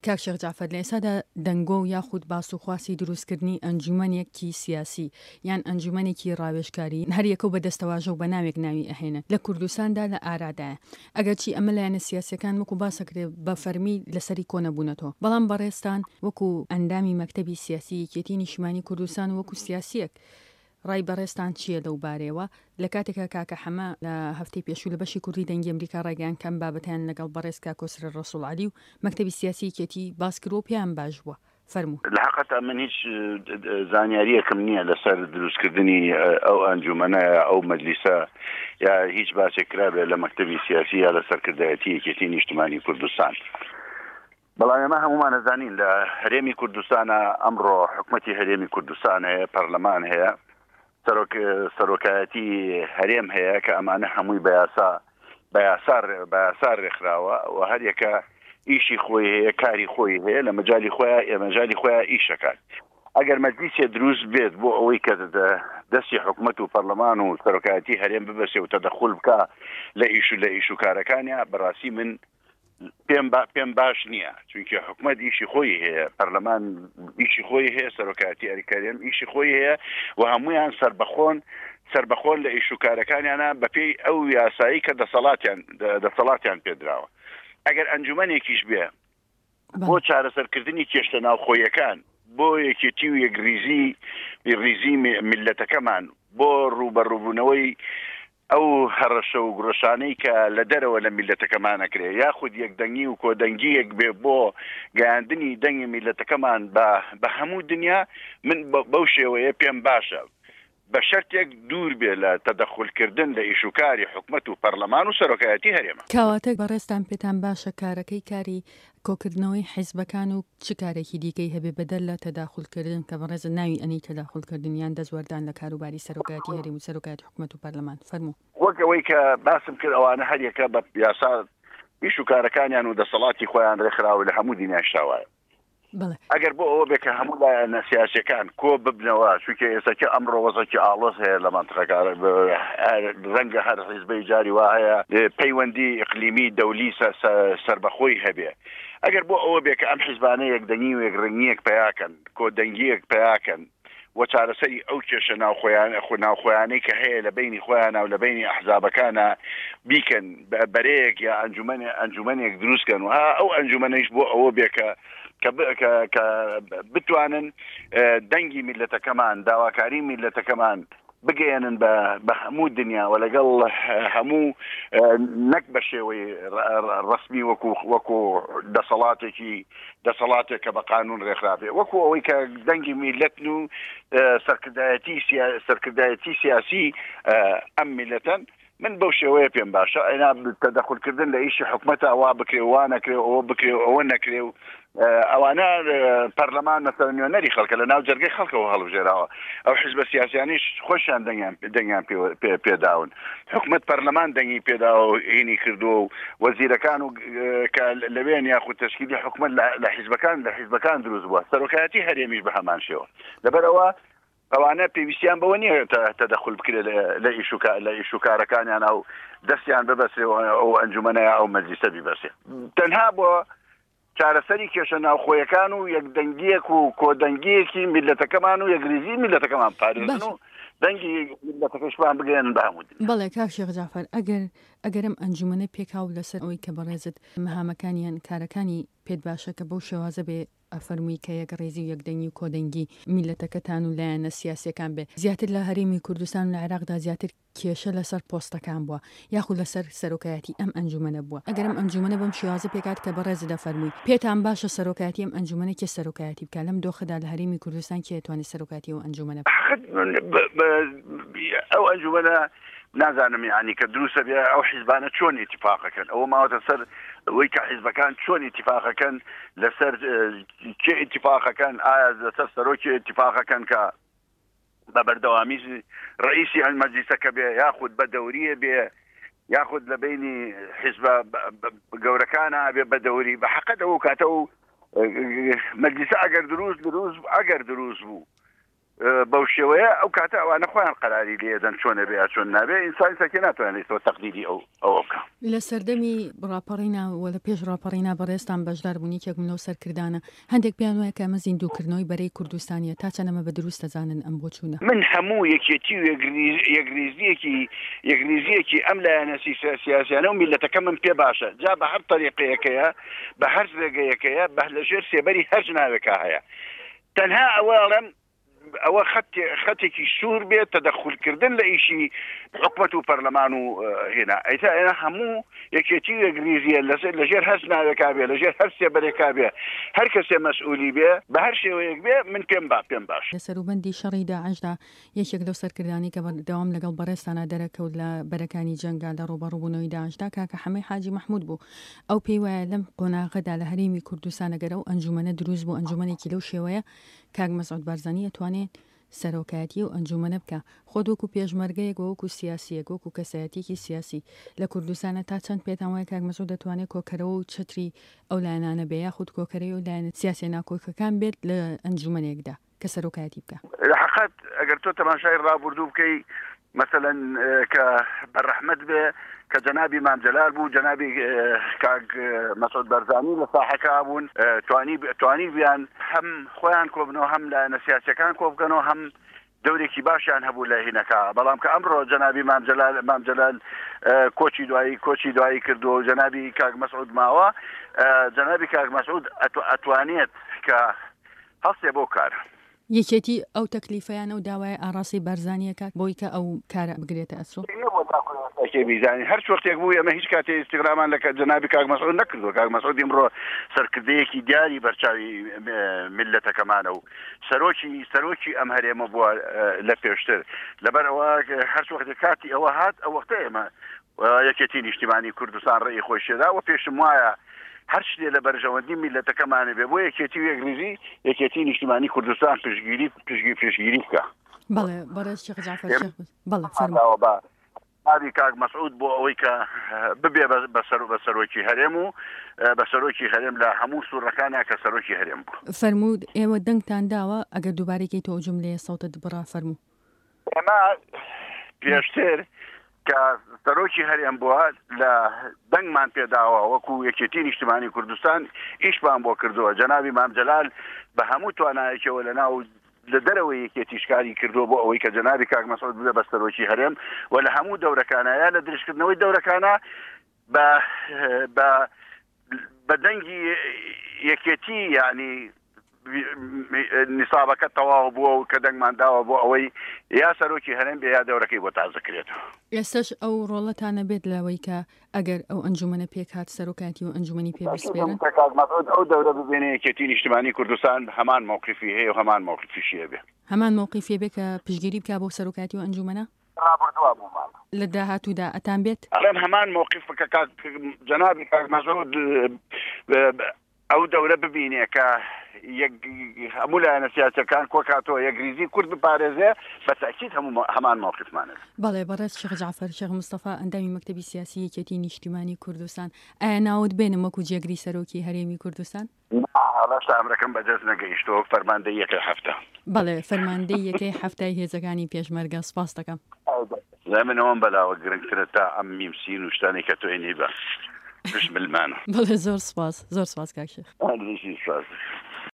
کاک شێخ جەعفەر، لە ئێستادا دەنگۆ و یاخود باس و خواسی دروستکردنی ئەنجومەنێکی سیاسی یان ئەنجومەنێکی ڕاوێژکاری، هەر یەکەو بە دەستەواژە و بە ناوێک ناوی ئەهێنن، لە کوردستاندا لە ئارادایە. ئەگەرچی ئەمە لایەنە سیاسیەکان وەکو باس ئەکرێ بە فەرمی لەسەری کۆنەبوونەتەوە، بەڵام بەڕێزتان وەکو ئەندامی مەکتەبی سیاسی یەکێتی نیشتمانی کوردستان و وەکو سیاسیەک ڕای بەڕێزتان چییە لەو بارەیەوە؟ لە کاتێکا کاکە حەمە لە هەفتەی پێشوو لە بەشی کوردی دەنگی ئەمریکا ڕایگەیاند کە ئەم بابەتەیان لەگەڵ بەڕێز کاک کۆسرەت ڕەسوڵ عەلی و مەکتەبی سیاسی یەکێتی باس کردووە و پێیان باش بووە. فەرموو. لە حەقەتا من هیچ زانیاریەکم نییە لەسەر دروستکردنی ئەو ئەنجومەنە یا ئەو مەجلیسە یا هیچ باسێک کرابێت لە مەکتەبی سیاسی یا لە سەرکردایەتی یەکێتی نیشتمانی کوردستان. بەڵام ئێمە هەمومان ئەزانین لە هەرێمی کوردستانە ئەمڕۆ حکومەتی هەرێمی کوردستان هەیە، پەرلەمان هەیە، سەرۆک سەرۆکایەتی هەرێم هەیە کە ئەمانە هەمووی بە یاسا بە یاسا بە یاسا ڕێکخراوە و هەریەکە ئیشی خۆی هەیە کاری خۆی هەیە لە مەجای خۆیان ئێمەجای خۆیان ئیشەکات ئەگەر مەجلیسێ دروست بێت بۆ ئەوەی کە دەستی حکومەت و پەرلەمان و سەرۆکایەتی هەرێم ببەسێ و تەدەخول بکە لە ئیش و لە ئیش و کارەکانیا بەڕاستی من پێم با پێم باش نییە چونکە حکومەت ئیشی خۆی هەیە پەرلەمان ئیشی خۆی هەیە سەرۆکاتی ئەریکاریم ئیشی خۆی هەیە و هەمویان سربەخۆن سربەخۆن لە ئیش و کارەکانیانە بەپێی ئەو یاسایی کە دەسەڵاتیان دەسەڵاتیان پێدراوە ئەگەر ئەنجومەنێکیش بێ بۆ چارەسەرکردنی کێشتە ناوخۆیەکان بۆ یەکێتی و یەکریزی ریزی میلەتەکەمان بۆ ڕووبەڕووبوونەوەی ئەو هەڕەشە و گوڕەشانەی کە لە دەرەوە لە میللەتەکەمان ئەکرێ یاخود یەکدەنگی و کۆدەنگییەک بێ بۆ گەیاندنی دەنگی میللەتەکەمان بە بە هەموو دنیا من بەو شێوەیە پێم باشە بە شەرتێک دوور بێ لە تەدەخول کردن لە ئیش و کاری حکومەت و پەرلەمان و سەرۆکایەتی هەرێمە. کەواتە بەڕێزتان پێتان باشە کارەکەی کاری کۆکردنەوەی حیزبەکان و چ کارێکی دیکەی هەبێ بەدەر لە تەداخول کردن کە بەڕێزت ناوی ئەنێی تەداخول کردن یان دەستوەردان لە کاروباری سەرۆکایەتی هەرێم و سەرۆکایەتی حکومەت و پەرلەمان؟ فەرموو. وەک ئەوەی کە باسم کرد ئەوانە هەر یەکە بە یاسا ئیش و کارەکانیان و دەسەڵاتی خۆیان ڕێکخراوە لە هەموو دنیاشدا وایە. بەڵێ. ئەگەر بۆ ئەوە بێ کە هەموو لایەنە سیاسیەکان کۆ ببنەوە چونکە ئێستاکە ئەمڕۆ وەزعێکی ئاڵۆز هەیە لە مەنتقەکە ڕەنگە هەر حیزبەی جاری وا هەیە پەیوەندی ئیقلیمی دەولی سەربەخۆی هەبێ ئەگەر بۆ ئەوە بێ کە ئەم حیزبانە یەکدەنگی و یەکڕەنگییەک پەیاکەن کۆدەنگییەک پەیاکەن و چارەسەری ئەو کێشە ناوخۆیان ناوخۆیانەی کە هەیە لە بەینی خۆیانە و لە بەینی ئەحزابەکانە بیکەن بەرەیەک یا ئەنجومەنێ ئەنجومەنێک دروست کەن و ها ئەو ئەنجومەنەیش بۆ ئەوە بێ کە کە کە کە بتوانن دەنگی میللەتەکەمان داواکاری میللەتەکەمان بگەیەنن بە بە هەموو دنیا و لەگەڵ هەموو نەک بە شێوەی ڕەسمی وەکو وەکو دەسەڵاتێکی دەسەڵاتێک کە بە قانون ڕێکخرابێ وەکو ئەوەی کە دەنگی میلەتن و سەرکردایەتی سەرکردایەتی سیاسی ئەم میلەتەن من بەو شێوەیە پێم باشە ئەینا تەدەخولکردن لە ئیشی حکومەتە وا بکرێ وا نەکرێ ئەوە بکرێ و ئەوە نەکرێ و ئەوانە پەرلەمان مەسەلەن نوێنەری خەڵکە لە ناو جەرگەی خەڵکەوە هەڵبژێراوە ئەو حیزبە سیاسیانیش خۆشیان دەنگیان دەنگیان پێداون حکومەت پەرلەمان دەنگی پێداوە و هینی کردووە و وەزیرەکان و کە لەوێن یاخود تەشکیلی حکومەت لە حیزبەکان لە حیزبەکان دروست بووە سەرۆکایەتی هەرێمیش بە هەمان شێوە لەبەرئەوە ئەوانە پێویستیان بەوە نییە تەدەخول بکرێت لە ئیش لە ئیش و کارەکانیان و دەستیان ببەسرێ ئەو ئەنجومەنە ئەو مەجلیسە بیبەسێ تەنها بۆ چارەسەری کێشە ناوخۆیەکان و یەکدەنگیەک و کۆدەنگیەکی میللەتەکەمان و یەکریزی میللەتەکەمان پارێزن و دەنگی میللەتەکەشمان بگەیەنن بە هەموو دنیا. بەڵێ کاک شێخ جەعفەر ئەگەر ئەگەر ئەم ئەنجومەنە پێکهاو لەسەر ئەوەی کە بەڕێزت مەهامەکانی یان کارەکانی پێت باشە کە بەو شێوازە بێ ئەفەرمووی کە یەکڕیزی و یەکدەنگی و کۆدەنگی میللەتەکەتان و لایەنە سیاسیەکان بێ زیاتر لە هەرێمی کوردستان و لە عێراقدا زیاتر کێشە لەسەر پۆستەکان بووە یاخود لەسەر سەرۆکایەتی ئەم ئەنجومەنە بووە ئەگەر ئەم ئەنجومەنە بەم شێوازە پێکهات کە بەڕێزت دەفەرمووی پێتان باشە سەرۆکایەتی ئەم ئەنجومەنە کێ سەرۆکایەتی بکا لەم دۆخەدا لە هەرێمی کوردستان کێ ئەتوانێ سەرۆکایەتی ئەو ئەنجومەنە بکا؟ ئەو ئەنجومەنە نازانم یانی کە دروستە بێ ئەو حیزبانە چۆن ئیتیفاقەکەن ئەوە ماوەتە سەر ئەوەی کە حیزبەکان چۆن ئیتیفاقەکەن لەسەر کێ ئیتیفاقەکەن ئایا لەسەر سەرۆکی ئیتیفاقەکەن کە بە بەردەوامی ڕئیسی ئەن مەجلیسەکە بێ یاخود بە دەوریە بێ یاخود لە بینی حیزبە گەورەکانە بێ بە دەوری بە حەقەت ئەو کاتە و مەجلیسە ئەگەر دروست دروست ئەگەر دروست بوو. بەو شێوەیە ئەو کاتە ئەوانە خۆیان قەراری لێ دەن چۆن ئەبێ یا چۆن نابێ ئینسان سەکێ ناتوانێت تۆ تەقدیری ئەو ئەوە بکا. لە سەردەمی ڕاپەڕینا و لە پێش ڕاپەڕینا بەڕێزتان بەشدار بوون یەکێک بوون لەو سەرکردانە هەندێک پێیان وایە کە ئەمە زیندووکردنەوەی بەرەی کوردستانیە تا چەند ئەمە بە دروست دەزانن ئەم بۆچوونە؟ من هەموو یەکێتی و یەکریزیەکی یەکریزیەکی ئەم لایەنە سیاسیانە و میللەتەکەمم پێ باشە جا بە هەر تەریقەیەکەیە بە هەر ڕێگەیەکەیە بە لەژێر سێبەری هەر ناوێکا هەیە تەنها ئەوە ئەڵێم ئەوە خەتێکی سوور بێت تەدەخولکردن لە ئیشی حکومەت و پەرلەمان و هێنا ئەیتا ئێمە هەموو یەکێتی و یەکریزیە لەسەر لەژێر هەر ناوێکا بێ لەژێر هەر سێبەرێکا بێ هەر کەسێ مەسئولی بێ بە هەر شێوەیەک بێ من پێم با پێم باش. لە سەروبەندی شەڕی داعشدا یەکێک لەو سەرکردانەی کە بەردەوام لەگەڵ بەڕێزتانا دەرەکەوت لە بەرەکانی جەنگا لە ڕووبەڕووبوونەوەی داعشدا کاکە حەمەی حاجی مەحموود بوو. ئەو پێی وایە لەم قۆناغەدا لە هەرێمی کوردستان ئەگەر ئەو ئەنجوومەنە دروست بوو ئەنجوومەنێکی لەو شێوەیە کاک مەسعود بارزانی ئەتوانێ سەرۆکایەتی ئەو ئەنجوومەنە بکا. خۆت وەکوو پێشمەرگەیەک و وەکوو سیاسییەک، وەکوو کەسایەتییەکی سیاسی لە کوردستانا تا چەند پێتان وایە کاک مەسعود دەتوانێ کۆکەرەوە و چەتری ئەو لایەنانە بێ یاخود کۆکەرەی ئەو لایەنە سیاسییە ناکۆکەکان بێت لە ئەنجوومەنێکدا؟ کە سەرۆکایەتی بکا. لە حەقت ئەگەر تۆ تەماشای ڕابوردوو بکەی مەسەلەن کە بە ڕەحمەت بێ کە جەنابی مام جەلال بوو جەنابی کاک مەسعود بەرزانی لە ساحەکە بوون توانی توانی بیان هەم خۆیان کۆبنەوە هەم لایەنە سیاسەکان کۆبکەنەوە هەم دەورێکی باشیان هەبوو لە هینەکە بەڵام کە ئەمڕۆ جەنابی مام جەلال مام جەلال کۆچی دوایی کۆچی دوایی کردووە و جەنابی کاک مەسعود ماوە جەنابی کاک مەسعود ئەتوانێت کە هەڵسێ بەو کارە. یەکێتی ئەو تەکلیفە یان ئەو داوایە ئاڕاستەی بارزانی ئەکات بۆی کە ئەو کارە بگرێتە ئەستۆ؟ نەبووە تاکو ئێستا کێ بیزانین هەرچ وەختێک بوو ئێمە هیچ کاتێ ئیستیغرامان لە جەنابی کاک مەسعود نەکردووە کاک مەسعود ئیمڕۆ سەرکردەیەکی دیاری بەرچاوی میللەتەکەمانە و سەرۆکی سەرۆکی ئەم هەرێمە بووە لە پێشتر لەبەر ئەوە هەرچ وەختێک کاتی ئەوە هات ئەو وەختە ئێمە یەکێتی نیشتیمانی کوردستان ڕێی خۆی شێدا و پێشم وایە هەر شتێ لە بەرژەوەندی میللەتەکەمانە بێ بۆ یەکێتی و یەکریزی یەکێتی نیشتیمانی کوردستان پشتگیری پشتگیری پشتگیری بکا. بەڵێ بەڕێز شێخ جەعفەر شێخ بەڵێ فەرموو. بە ناوی کاک مەسعود بۆ ئەوەی کە ببێ بە سەر بە سەرۆکی هەرێم و بە سەرۆکی هەرێم لە هەموو سوڕەکانە کە سەرۆکی هەرێم بوو. فەرموو ئێوە دەنگتان داوە ئەگەر دووبارەی کەیتەوە ئەو جوملەیە سەوتت بڕا فەرموو. ئێمە پێشتر کە سەرۆکی هەرێم بووە لە دەنگمان پێداوە وەکو یەکێتی نیشتمانی کوردستان ئیشمان بۆ کردووە جەنابی مام جەلال بە هەموو توانایەکەوە لە ناو لە دەرەوەی یەکێتیش کاری کردووە بۆ ئەوەی کە جەنابی کاک مەسعود ببێ بە سەرۆکی هەرێم و لە هەموو دەورەکانە یا لە درێژکردنەوەی دەورەکانە بە بە بە دەنگی یەکێتی یعنی نیسابەکە تەواو بووە و کە دەنگمان داوە بۆ ئەوەی یا سەرۆکی هەرێم بێ یا دەورەکەی بۆ تازە کرێتەوە. ئێستاش ئەو ڕۆڵەتان ئەبێت لەوەی کە ئەگەر ئەو ئەنجومەنە پێکهات سەرۆکایەتی و ئەنجومەنی پێ بسپێرن؟ کاک مەسعود ئەو دەورە ببێنێ یەکێتی نیشتمانی کوردستان هەمان مەوقیفی هەیە و هەمان مەوقیفیشی ئەبێ. هەمان مەوقیفی ئەبێ کە پشتگیری بکا بۆ سەرۆکایەتی و ئەنجومەنە؟ ڕابردووە بوومان. لە داهاتوودا ئەتان بێت؟ ئەڵێم هەمان مەوقیف کە کاک جەنابی کاک مەسعود ئەو دەورە ببینێ کە یەک هەموو لایەنە سیاسیەکان کۆکاتەوە یەکریزی کورد بپارێزێ بە تەئکید هەموو هەمان مەوقیفمان ئەبێ. بەڵێ بەڕێز شێخ جەعفەر شێخ مستەفا ئەندامی مەکتەبی سیاسی یەکێتی نیشتیمانی کوردستان ئایا ناوت بێنم وەکو جێگری سەرۆکی هەرێمی کوردستان؟ نا هێشتا ئەمرەکەم بەدەست نەگەیشتووە وەک فەرماندەی یەکەی حەفتا. بەڵێ فەرماندەی یەکەی حەفتای هێزەکانی پێشمەرگە سپاست دەکەم. لای من ئەوەم بەلاوە گرنگترە تا ئەم میم سین و شتانەی کە تۆ ئێنی بە پشت ملمانە. بەڵێ زۆر سپاس زۆر سپاس کاک شێخ. هەر بژی سپاس دەکەم.